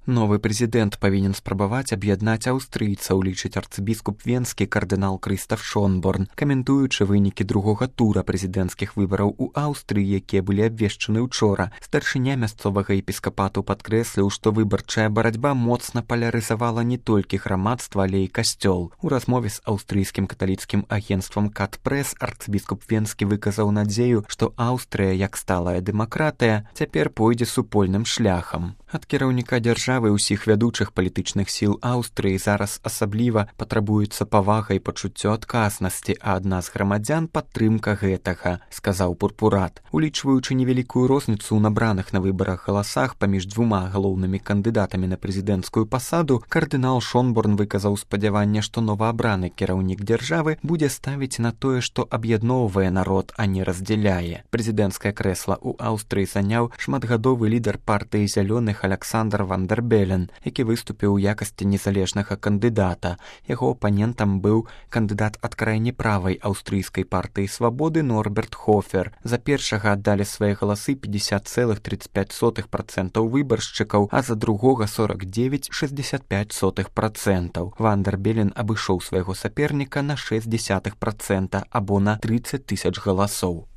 Новы прэзідэнт павінен спрабаваць аб'яднаць аўстрыйцаў, лічыць арцыбіскуп венскі кардынал Крыстаф Шонборн, каментуючы вынікі другога тура прэзідэнцкіх выбараў у Аўстрыі, якія былі абвешчаны ўчора. Старшыня мясцовага епіскапату падкрэсліў, што выбарчая барацьба моцна палярызавала не толькі грамадства, але і касцёл. У размове з аўстрыйскім каталіцкім агенцтвам Кат-Прэс арцыбіскуп венскі выказаў надзею, што Аўстрыя, як сталая дэмакратыя, цяпер пойдзе супольным шляхам. Ад кіраўніка дзяржавы ўсіх вядучых палітычных сіл Аўстрыі зараз асабліва патрабуецца павага і пачуццё адказнасці, а ад нас грамадзян падтрымка гэтага, сказаў пурпурат. Улічваючы невялікую розніцу ў набраных на выбарах галасах паміж двума галоўнымі кандыдатамі на прэзідэнцкую пасаду, кардынал Шонборн выказаў спадзяванне, што новаабраны кіраўнік дзяржавы будзе ставіць на тое, што аб'ядноўвае народ, а не раздзяляе. Прэзідэнцкае крэсла ў Аўстрыі заняў шматгадовы лідар партыі зялёных Александр Ван дер Белен, які выступіў у якасці незалежнага кандыдата. Яго апанентам быў кандыдат ад крайне правай аўстрыйскай партыі свабоды Норберт Хофер. За першага аддалі свае галасы 50,35% выбаршчыкаў, а за другога 49,65%. Ван дер Белен абышоў свайго саперніка на 0,6% або на 30 000 галасоў.